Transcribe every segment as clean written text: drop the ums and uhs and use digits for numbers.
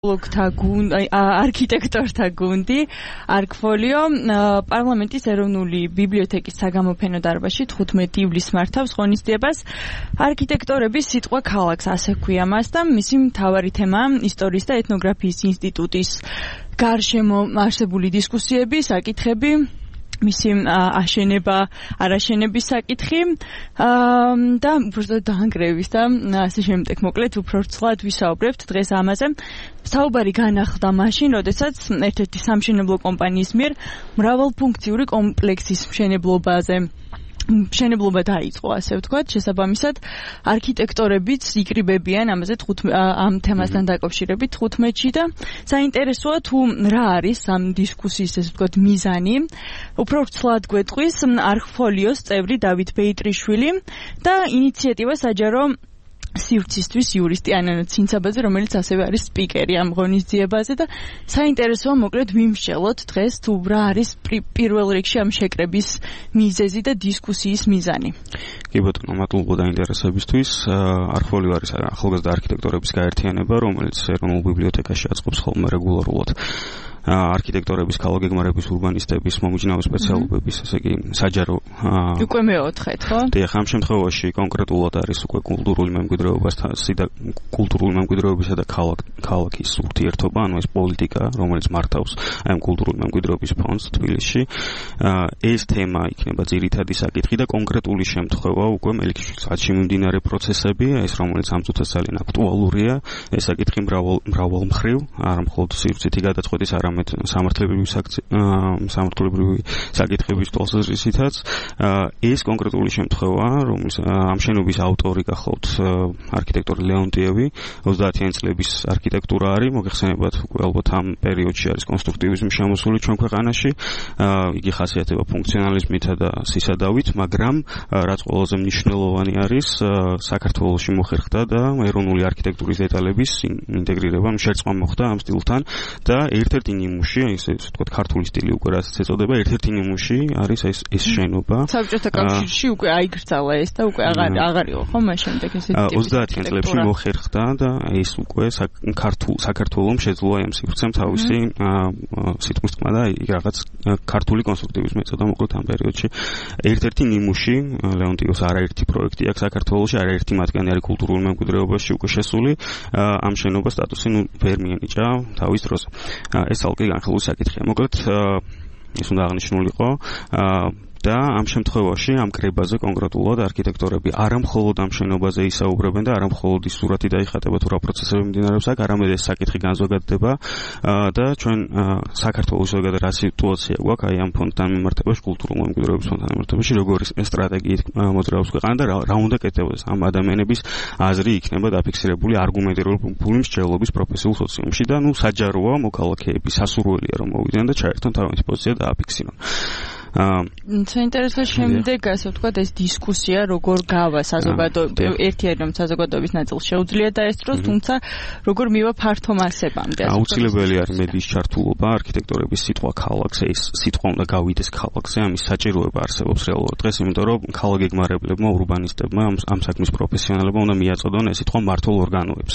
არქიტექტორთა გუნდი ArcFolio პარლამენტის ეროვნული ბიბლიოთეკის საგამოფენო დარბაზში 15 ივლისს მართავს ღონისძიებას. არქიტექტორების სიტყვა ქალაქს, ასე ქვია მას და მისი მთავარი თემაა ისტორიის და ეთნოგრაფიის ინსტიტუტის გარშემო არსებული დისკუსიები, საკითხები, მისი აშენება, არაშენების საკითხი და უბრალოდ დაანგრევის და ასე შემდეგ. მოკლედ უფრო ვრცლად ვისაუბრებთ დღეს ამაზე. საუბარი განახლდა მაშინ, როდესაც ერთ-ერთი სამშენებლო კომპანიის მიერ მრავალფუნქციური კომპლექსის მშენებლობა დაიწყო, ასე ვთქვათ. შესაბამისად, არქიტექტორებიც იკრიბებიან ამაზე ამ თემასთან დაკავშირებით 15-ში და საინტერესოა თუ რა არის ამ დისკუსიის, ესე ვთქვათ, მიზანი. უფრო ვრცლად გვეტყვის ArcFolios წევრი დავით ბეიტრიშვილი და ინიციატივა საჯარო სივრცისთვის იურისტი ანანა ცინცაბაძე, რომელიც ასევე არის სპიკერი ამ ღონისძიებაზე და საინტერესოა მოკლედ ვიმსჯელოთ დღეს თუ რა არის პირველ რიგში ამ შეკრების მიზეზი და დისკუსიის მიზანი. კი ბატონო, მადლობა დაინტერესებისთვის. ArcFolio არის ახალგაზრდა არქიტექტორების გაერთიანება, რომელიც ეროვნულ ბიბლიოთეკაში აწყობს ხოლმე რეგულარულად არქიტექტორების, ქალაქგეგმარების, ურბანისტების, მომიჯნავე სპეციალობების, ესე იგი, საჯარო უკვე მეოთხედ, ხო? დიახ, ამ შემთხვევაში კონკრეტულად არის უკვე კულტურული მემკვიდრეობისა და ქალაქის ურთიერთობა, ანუ ეს პოლიტიკა, რომელიც მართავს ამ კულტურული მემკვიდრეობის ფონდს თბილისში. ეს თემა იქნება ძირითადი საკითხი და კონკრეტული შემთხვევა უკვე მელიქიშვილის მიმდინარე პროცესები, ეს რომელიც ამ წუთას ძალიან აქტუალურია, ეს საკითხი მრავალმხრივ, არა მხოლოდ სივრცითი გადაწყვეტის, არამედ სამართლებრივი საკითხების თვალსაზრისითაც. ეს კონკრეტული შემთხვევა, რომელიც ამ შენობის ავტორი გახლავთ არქიტექტორი ლეონტიევი, 30-იანი წლების არქიტექტურა არის, მოგეხსენებათ, უკვე ალბათ ამ პერიოდში არის კონსტრუქტივიზმი შემოსული ჩვენ ქვეყანაში. იგი ხასიათდება ფუნქციონალიზმითა და სისადავით, მაგრამ რაც ყველაზე მნიშვნელოვანი არის, საქართველოში მოხერხდა და ეროვნული არქიტექტურის დეტალების ინტეგრირება, შერწყმა მოხდა ამ სტილთან და ერთ-ერთი ნიმუში, ესე ვთქვათ, ქართული სტილი უკვე რასაც ეწოდება, ერთ-ერთი ნიმუში არის ეს შენობა. საბჭოთა კავშირში უკვე აიგრძალა ეს და უკვე აღარ იყო, ხო, მას შემდეგ ესეთი 30-იან წლებში მოხერხდა და ეს უკვე საქართველოს შეძლო ამ სივრცემ თავისი სიტყვის თქმა და რაღაც ქართული კონსტრუქტივიზმი ეწოდა მოკლედ ამ პერიოდში. ერთ-ერთი ნიმუში ლეონტიოს არაერთი პროექტი აქვს საქართველოში, არაერთი მათგანი არის კულტურულ მემკვიდრეობაში უკვე შესული. ამ შენობას სტატუსი ვერ მიენიჭა თავის დროს. ეს ალკი განხილული საკითხია. მოკლედ ის უნდა აღნიშნულიყო და ამ შემთხვევაში ამ კრებაზე კონკრეტულად არქიტექტორები არა მხოლოდ ამ შენობაზე ისაუბრებენ და არა მხოლოდ ის სურათი დაიხატება თუ რა პროცესები მიმდინარეობს აქ, არამედ ეს საკითხი განზოგადდება და ჩვენ საქართველოს ზოგადად რა სიტუაცია გვაქვს აი ამ ფონდთან მიმართებაში, კულტურულ მემკვიდრეობის ფონდთან მიმართებაში, როგორი სტრატეგიით მოძრაობს ქვეყანა და რა უნდა კეთდეს ამ ადამიანების აზრი იქნება დაფიქსირებული არგუმენტირებული მსჯელობის პროფესიულ სოციუმში და საჯაროა მოქალაქეები სასურველია რომ მოვიდნენ და ჩაერთონ თავისი პოზიცია და აფიქსირონ. საინტერესო შემდეგ, ასე ვთქვათ, ეს დისკუსია როგორ გავა საზოგადოებრივ, ერთი არის რომ საზოგადოების ნაწილს შეუძლია დაესწროს, თუმცა როგორ მივა ფართო მასებამდე. აუცილებელი არის მედიის ჩართულობა, არქიტექტორების სიტყვა ქალაქზე, ეს სიტყვა უნდა გავიდეს ქალაქზე, ამის საჭიროება არსებობს რეალურად დღეს, იმიტომ რომ ქალაქგეგმარებლებმა, ურბანისტებმა, ამ საქმის პროფესიონალებმა უნდა მიაწოდონ ეს სიტყვა მმართველ ორგანოებს.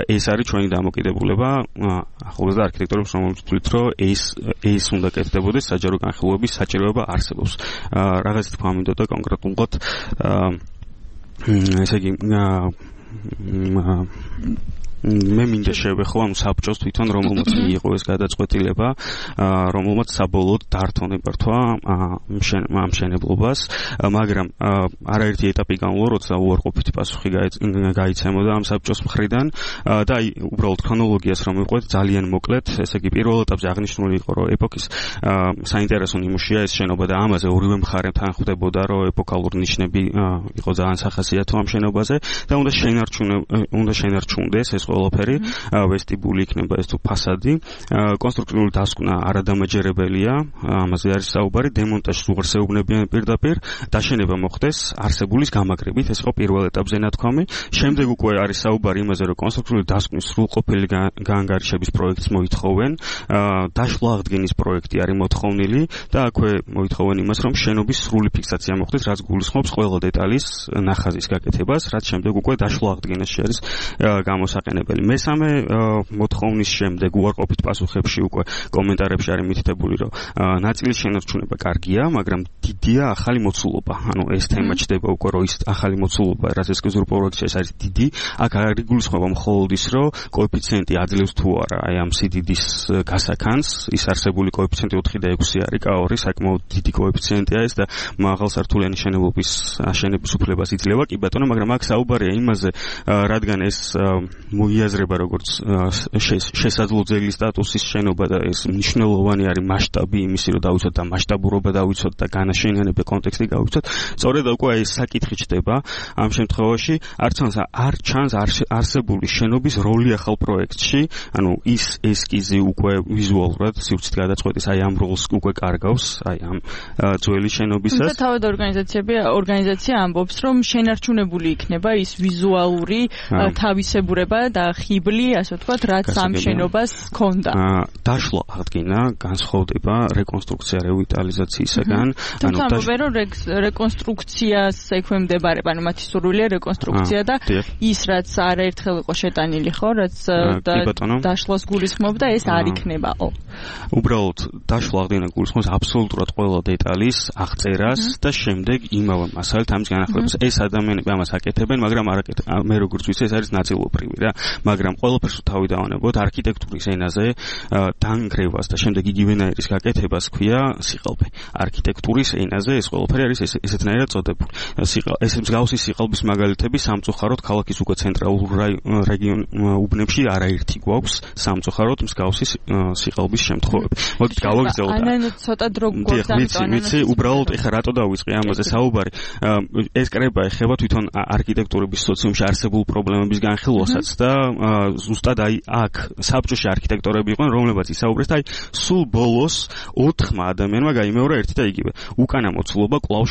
ეს არის ჩვენი დამოკიდებულება ახალგაზრდა არქიტექტორებს, რომელიც თვლით, რომ ეს უნდა კეთდებოდეს საჯარო განხილვების საჭიროება არსებობს. რაღაცა თქვა მინდოდა კონკრეტულად ესე იგი მე მინდა შევეხო ამ საბჭოს თვითონ რომელმაც მიიღო ეს გადაწყვეტილება, რომელმაც საბოლოოდ დართო ნებართვა ამ მშენებლობას, მაგრამ არაერთი ეტაპი განვლო, როცა უარყოფითი პასუხი გაიცემოდა ამ საბჭოს მხრიდან და აი უბრალოდ ქრონოლოგიას რომ ვიყვეთ ძალიან მოკლედ, ესე იგი პირველ ეტაპზე აღნიშნული იყო, რომ ეპოქის საინტერესო ნიმუშია ეს შენობა და ამაზე ორივე მხარემთან ხვდებოდა, რომ ეპოქალური ნიშნები იყო ძალიან სახასიათო ამ შენობაზე და უნდა შენარჩუნდეს ეს ყველაფერი, ვესტიბული იქნება ეს თუ ფასადი, კონსტრუქციული დასკვნა არადამაჯერებელია, ამაზე არის საუბარი, დემონტაჟს უარსეუბნებიან პირდაპირ, დაშენება მოხდეს არსებულის გამაგრებით, ეს იყო პირველ ეტაპზე ნათქვამი. შემდეგ უკვე არის საუბარი იმაზე, რომ კონსტრუქციული დასკვნის სრულყოფილი გაანგარიშების პროექტს მოითხოვენ, დაშლა აღდგენის პროექტი არის მოთხოვნილი და აქვე მოითხოვენ იმას, რომ შენობის სრული ფიქსაცია მოხდეს, რაც გულისხმობს ყველა დეტალის ნახაზის გაკეთებას, რაც შემდეგ უკვე დაშლა აღდგენაში არის გამოსაყენებელი. გასაყენებელი. მესამე მოთხოვნის შემდეგ უარყოფით პასუხებში უკვე კომენტარებში არის მითითებული, რომ ნაწილის შენარჩუნება კარგია, მაგრამ დიდია ახალი მოცულობა. ანუ ეს თემა ჩდება უკვე, რომ ის ახალი მოცულობა, რაც ესკიზურ პროექტში არის დიდი, აქ არ იგულისხმება მხოლოდ ის, რომ კოეფიციენტი აძლევს თუ არა აი ამ სიდიდის გასაქანს, ის არსებული კოეფიციენტი 4 და 6 არის, K2 საკმაოდ დიდი კოეფიციენტია ეს და მაღალსართულიანი შენობის აშენების უფლებას იძლევა, კი ბატონო, მაგრამ აქ საუბარია იმაზე, რადგან ეს მოიაზრება როგორც შესაძლო ძეგლის სტატუსის შენობა და ეს მნიშვნელოვანი არის მასშტაბი იმისი, რომ დავიცოთ და მასშტაბურობა დავიცოთ და განაშენიანება კონტექსტი გავიცოთ. სწორედ უკვე ეს საკითხი ჩდება ამ შემთხვევაში, არ ჩანს არსებული შენობის როლი ახალ პროექტში, ანუ ის ესკიზი უკვე ვიზუალურად სივრცით გადაწყვეტის აი ამ როლს უკვე კარგავს, აი ამ ძველი შენობისას. და თავად ორგანიზაცია ამბობს, რომ შენარჩუნებული იქნება ის ვიზუალური თავისებურება და ხიბლი, ასე ვთქვათ, რაც ამ შენობას ჰქონდა. დაშლა აღდგინა, განსხვავდება რეკონსტრუქცია რევიტალიზაციისაგან. ანუ თუმცა რეკონსტრუქციას ექვემდებარება, ანუ მათი სურვილია რეკონსტრუქცია და ის რაც არაერთხელ იყო შეტანილი, ხო, რაც დაშლას გულისხმობდა, ეს არ იქნებაო. უბრალოდ დაშლა აღდგენა გულისხმობს აბსოლუტურად ყველა დეტალის აღწერას და შემდეგ იმავე მასალით ამის განახლებას. ეს ადამიანები ამას აკეთებენ, მაგრამ მე როგორც ვიცი, ეს არის ნაწილობრივი რა, მაგრამ ყველაფერს თავი დავანებოთ არქიტექტურის ენაზე დანგრევას და შემდეგ იგივენაირის გაკეთებას ქვია სიყალბე. არქიტექტურის ენაზე ეს ყველაფერი არის ესეთნაირად წოდებული. ეს მსგავსი სიყალბის მაგალითები სამწუხაროდ ქალაქის უკვე ცენტრალურ რეგიონ უბნებში არაერთი გვაქვს სამწუხაროდ მსგავსი სიყალბის შემთხვევები. მოდით გავაგრძელოთ. ანუ ცოტა დრო გვაქვს ამიტომ. ვიცი, უბრალოდ ეხლა რატო დავიწყე ამაზე საუბარი. ეს კრება ეხება თვითონ არქიტექტურების სოციუმში არსებულ პრობლემების განხილვასაც და ზუსტად აი აქ საბჭოში არქიტექტორები იყვნენ, რომლებიც ისაუბრეს და აი სულ ბოლოს 4 ადამიანმა გაიმეორა ერთი და იგივე. უკანა მოცულობა კვლავ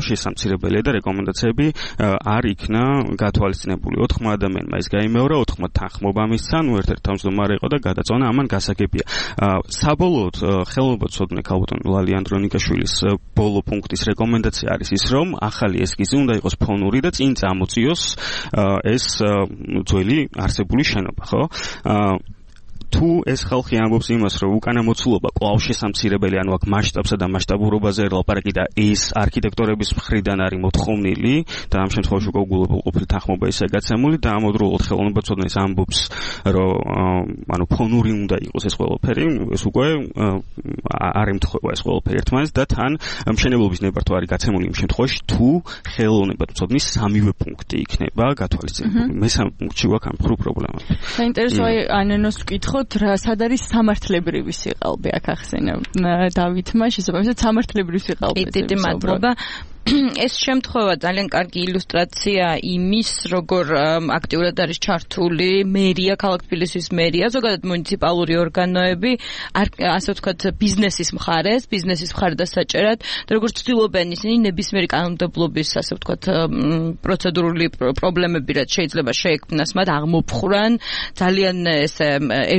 შესამცირებელია და რეკომენდაციები არ იქნა გათვალისწინებული. 4 ადამიანმა ის გაიმეორა, 4 თანხმობა მისცა, ნუ ერთ-ერთი თავმჯდომარე იყო და გადაწონა ამან გასაგებია. საბოლოოდ ხელმოწოდნე ქალბატონ ლალი ანდრონიკაშვილის ბოლო პუნქტის რეკომენდაცია არის ის, რომ ახალი ესკიზი უნდა იყოს ფონური და წინ წამოწიოს ეს ძველი არსებული შენობა, ხო? თუ ეს ხალხი ამბობს იმას, რომ უკანა მოცულობა კვლავ შესამცირებელი, ანუ აქ მასშტაბსა და მასშტაბურობაზე ლაპარაკი და ეს არქიტექტორების მხრიდან არის მოთხოვნილი და ამ შემთხვევაში უკვე უგულებელყოფილი თანხმობა ისე გაცემული და ამავდროულად ხელოვნებაცოდნეს ამბობს, რომ ანუ ფონური უნდა იყოს ეს ყველაფერი, ეს უკვე არ ემთხვევა ეს ყველაფერი ერთმანეთს და თან მშენებლობის ნებართვა არის გაცემული იმ შემთხვევაში, თუ ხელოვნებაცოდნის სამივე პუნქტი იქნება გათვალისწინებული. მესამე პუნქტში გვაქვს ამ პრობლემა. საინტერესო აი ანენოს ვკითხო სად არის სამართლებრივი სიყალბე აქ ახსენა დავითმა შესაბამისად სამართლებრივი სიყალბე. დიდი მადლობა. ეს შემთხვევა ძალიან კარგი ილუსტრაცია იმის, როგორ აქტიურად არის ჩართული მერია, ქალაქ თბილისის მერია, ზოგადად მუნიციპალური ორგანოები, ასე ვთქვათ, ბიზნესის მხარეს და საჭერად, და როგორც ცდილობენ ისინი ნებისმიერი კანონმდებლობის, ასე ვთქვათ, პროცედურული პრობლემები, რაც შეიძლება შეექმნას მათ, აღმოფხვრან ძალიან ესე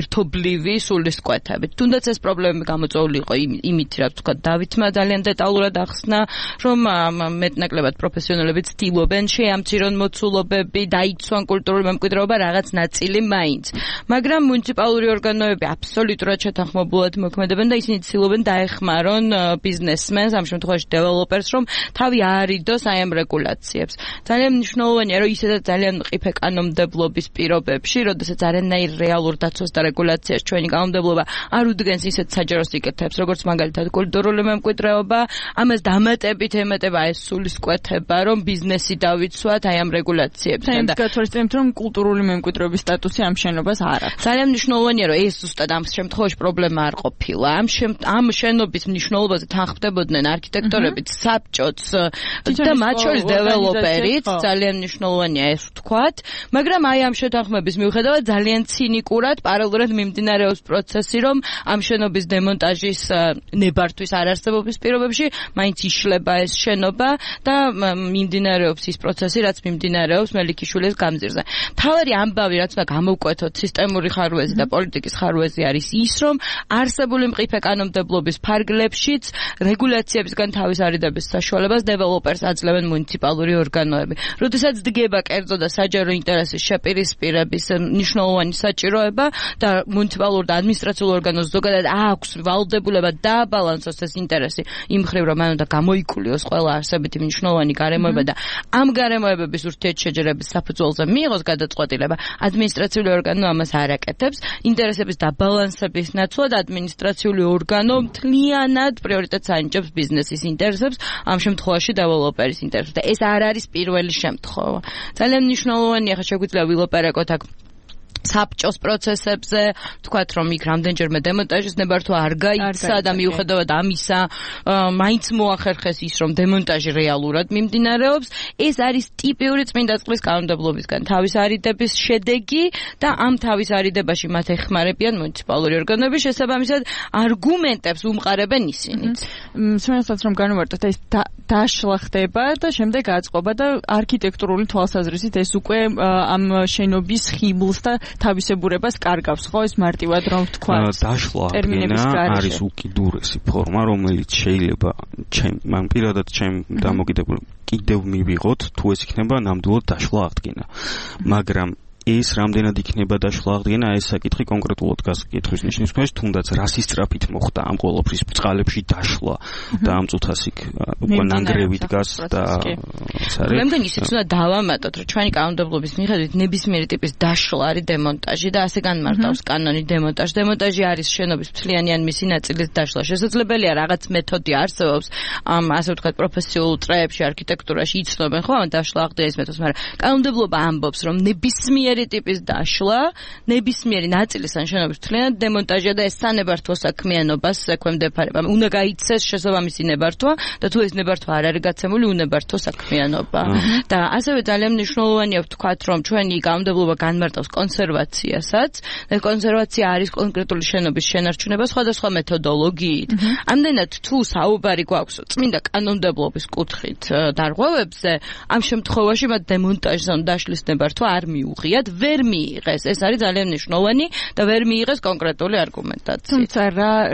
ერთობლივი სულისკვეთებით. თუნდაც ეს პრობლემები გამოწვეული იყო იმით, რაც ვთქვათ, დავითმა ძალიან დეტალურად ახსნა, რომ მეტნაკლებად პროფესიონალები ცდილობენ შეამცირონ მოცულობები, დაიცვან კულტურული მემკვიდრეობა რაღაც ნაწილი მაინც. მაგრამ მუნიციპალური ორგანოები აბსოლუტურად შეთანხმებულად მოქმედებენ და ისინი ცდილობენ დაეხმარონ ბიზნესმენს, ამ შემთხვევაში დეველოპერს, რომ თავი აარიდოს აი ამ რეგულაციებს. ძალიან მნიშვნელოვანია, რომ ისედაც ძალიან მყიფე კანონმდებლობის პირობებში, როდესაც არანაირ რეალურ დაცვას და რეგულაციას ჩვენი კანონმდებლობა არ უდგენს ისეთ საჯარო სიკეთეებს, როგორც მაგალითად კულტურული მემკვიდრეობა, ამას დამატებით ემატება ეს სულისკვეთება, რომ ბიზნესი დავიცვათ აი ამ რეგულაციებთან და გათვალისწინებთ, რომ კულტურული მემკვიდრეობის სტატუსი ამ შენობას არ აქვს. ძალიან მნიშვნელოვანია, რომ ეს ზუსტად ამ შემთხვევაში პრობლემა არ ყოფილა. ამ შენობის მნიშვნელობაზე თანხმდებოდნენ არქიტექტორებიც, საბჭოც და მათ შორის დეველოპერიც, ძალიან მნიშვნელოვანია ეს ვთქვათ, მაგრამ აი ამ შეთანხმების მიუხედავად ძალიან ცინიკურად პარალელურად მიმდინარეობს პროცესი, რომ ამ შენობის დემონტაჟის ნებართვის არარსებობის პირობებში მაინც იშლება ეს შენობა საქმიანობა და მიმდინარეობს ის პროცესი, რაც მიმდინარეობს მელიქიშვილის გამზირზე. თავარი ამბავი, რაც უნდა გამოვკვეთოთ სისტემური ხარვეზი და პოლიტიკის ხარვეზი არის ის, რომ არსებული მყიფე კანონმდებლობის ფარგლებშიც რეგულაციებისგან თავის არიდების საშუალებას დეველოპერს აძლევენ მუნიციპალური ორგანოები. როდესაც დგება კერძო და საჯარო ინტერესის შეპირისპირების მნიშვნელოვანი საჭიროება და მუნიციპალურ და ადმინისტრაციულ ორგანოს ზოგადად აქვს ვალდებულება დააბალანსოს ეს ინტერესი იმ მხრივ, რომ მან უნდა გამოიკულიოს ყველა არსებითი მნიშვნელოვანი გარემოება და ამ გარემოებების ურთიერთშეჯერების საფუძველზე მიიღოს გადაწყვეტილება, ადმინისტრაციული ორგანო ამას არ აკეთებს. ინტერესების დაბალანსების ნაცვლად ადმინისტრაციული ორგანო მთლიანად პრიორიტეტს ანიჭებს ბიზნესის ინტერესებს, ამ შემთხვევაში დეველოპერის ინტერესებს. და ეს არ არის პირველი შემთხვევა. ძალიან მნიშვნელოვანია, ხა შეგვიძლია ვილაპარაკოთ აქ საბჭოს პროცესებზე, თქვათ რომ იქ რამდენჯერმე დემონტაჟის ნებართვა არ გაიქცა და მიუხედავად ამისა, მაინც მოახერხეს ის, რომ დემონტაჟი რეალურად მიმდინარეობს. ეს არის ტიპიური წმინდა წყლის კანონმდებლობისგან თავის არიდების შედეგი და ამ თავის არიდებაში მათ ეხმარებიან მუნიციპალური ორგანოები, შესაბამისად არგუმენტებს უმყარებენ ისინიც. სულ რომ განვარტოთ, ეს დაშლა ხდება და შემდეგ აწყობა და არქიტექტურული თვალსაზრისით ეს უკვე ამ შენობის ხიბლს და თავისებურებას კარგავს, ხო, ეს მარტივად რომ ვთქვა. დაშლა არის უკიდურესი ფორმა, რომელიც შეიძლება მან პირადად ჩემ დამოკიდებულ კიდევ მივიღოთ, თუ ეს იქნება ნამდვილად დაშლა აღდგენა. მაგრამ ეს რამდენად იქნება დაშლა აღდგენა, ეს საკითხი კონკრეტულად გასაკითხვის ნიშნის ქვეშ, თუნდაც რასის სწრაფით მოხდა ამ ყოველფრის წყალებში დაშლა და ამ წუთას იქ უკვე ნანგრევი დგას და ეს არის. მე მგონი ისიც უნდა დავამატოთ, რომ ჩვენი კანონმდებლობის მიხედვით ნებისმიერი ტიპის დაშლა არის დემონტაჟი და ასე განმარტავს კანონი დემონტაჟი. დემონტაჟი არის შენობის მთლიანი ან მისი ნაწილის დაშლა. შესაძლებელია რაღაც მეთოდი არსებობს ამ ასე ვთქვათ პროფესიულ წრეებში, არქიტექტურაში იცნობენ ხო ამ დაშლა აღდგენის მეთოდს, მაგრამ კანონმდებლობა ამბობს, რომ ნებისმიერი ტიპის დაშლა, ნებისმიერი ნაწილის ან შენობის მთლიანად დემონტაჟია და ეს სანებართვო საქმიანობას ექვემდებარება. უნდა გაიცეს შესაბამისი ნებართვა და თუ ეს ნებართვა არ არის გაცემული, უნებართვო საქმიანობა. და ასევე ძალიან მნიშვნელოვანია ვთქვათ, რომ ჩვენი კანონმდებლობა განმარტავს კონსერვაციასაც და კონსერვაცია არის კონკრეტული შენობის შენარჩუნება სხვადასხვა მეთოდოლოგიით. ამდენად თუ საუბარი გვაქვს წმინდა კანონმდებლობის კუთხით დარღვევებზე, ამ შემთხვევაში მათ დემონტაჟზე დაშლის ნებართვა არ მიუღია. ვერ მიიღეს. ეს არის ძალიან მნიშვნელოვანი და ვერ მიიღეს კონკრეტული არგუმენტაცია. თუმცა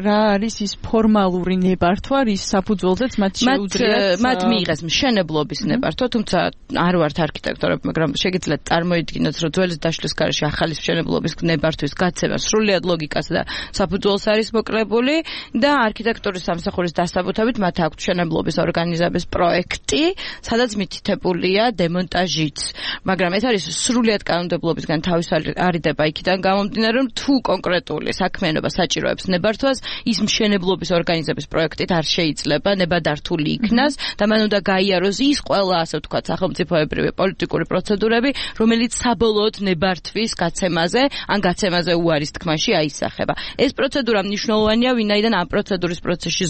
რა არის ის ფორმალური ნებართვა, რის საფუძველზეც მათ შეუძლიათ მათ მიიღეს მშენებლობის ნებართვა, თუმცა არ ვართ არქიტექტორები, მაგრამ შეგიძლიათ წარმოიდგინოთ, რომ ძველი დაშლის გარეშე ახალი მშენებლობის ნებართვის გაცემა სრულიად ლოგიკას და საფუძველს არის მოკლებული და არქიტექტურის სამსახურის დასაბუთებით მათ აქვთ მშენებლობის ორგანიზების პროექტი, სადაც მითითებულია დემონტაჟიც. მაგრამ ეს არის სრულიად კანონმდებლობისგან თავის არიდება იქიდან გამომდინარე, რომ თუ კონკრეტული საქმიანობა საჭიროებს ნებართვას, ის მშენებლობის ორგანიზების პროექტით არ შეიძლება ნებადართული იქნას და მან უნდა გაიაროს ის ყველა, ასე ვთქვათ, სახელმწიფოებრივი პოლიტიკური პროცედურები, რომელიც საბოლოოდ ნებართვის გაცემაზე, ან გაცემაზე უარის თქმაში აისახება. ეს პროცედურა მნიშვნელოვანია, ვინაიდან ამ პროცედურის პროცესში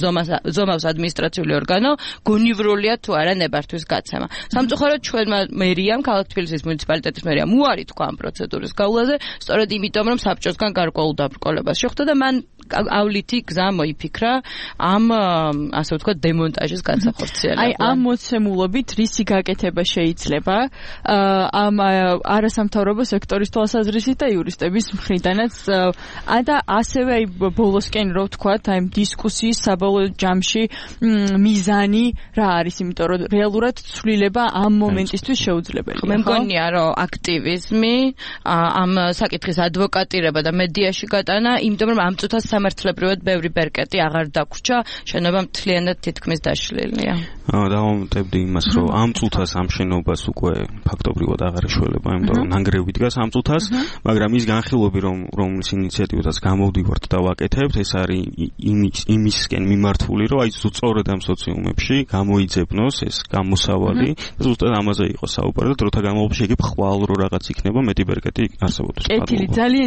ზომავს ადმინისტრაციული ორგანო, გონივრულია თუ არა ნებართვის გაცემა. სამწუხაროდ ჩვენმა მერიამ, ქალაქ თბილისის მუნიციპალიტეტის მერიამ უარი თქვა ამ პროცედურის გავლაზე, სწორედ იმიტომ, რომ საბჭოსგან გარკვეულ დაბრკოლებას შეხვდა და მან ავლითი გზა მოიფიქრა ამ ასე ვთქვათ დემონტაჟის განსახორციელებლად. აი ამ მოცემულობით რისი გაკეთება შეიძლება ამ არასამთავრობო სექტორის თვალსაზრისით და იურისტების მხრიდანაც და ასევე აი ბოლოსკენ რო ვთქვათ აი დისკუსიის საბოლოო ჯამში მიზანი რა არის, იმიტომ რომ რეალურად ცვლილება ამ მომენტისთვის შეუძლებელია. მე მგონია რომ აქტივიზმი, ამ საკითხის ადვოკატირება და მედიაში გატანა, იმიტომ რომ ამ წუთას სამართლებრივად ბევრი ბერკეტი აღარ დაგვრჩა, შენობა მთლიანად თითქმის დაშლილია. დავამატებდი იმას, რომ ამ წუთას ამ შენობას უკვე ფაქტობრივად აღარ ეშველება, იმიტომ რომ ნანგრევი დგას ამ წუთას, მაგრამ ის განხილვები, რომლის ინიციატივას გამოვდივართ და ვაკეთებთ, ეს არის იმისკენ მიმართული, რომ აი სწორედ ამ სოციუმებში გამოიძებნოს ეს გამოსავალი და ზუსტად ამაზე იყო საუბარი და დროთა განმავლობაში იგი ხვალ რო რაღაც იქნება მეტი ბერკეტი არსებობდეს. კეთილი, ძალიან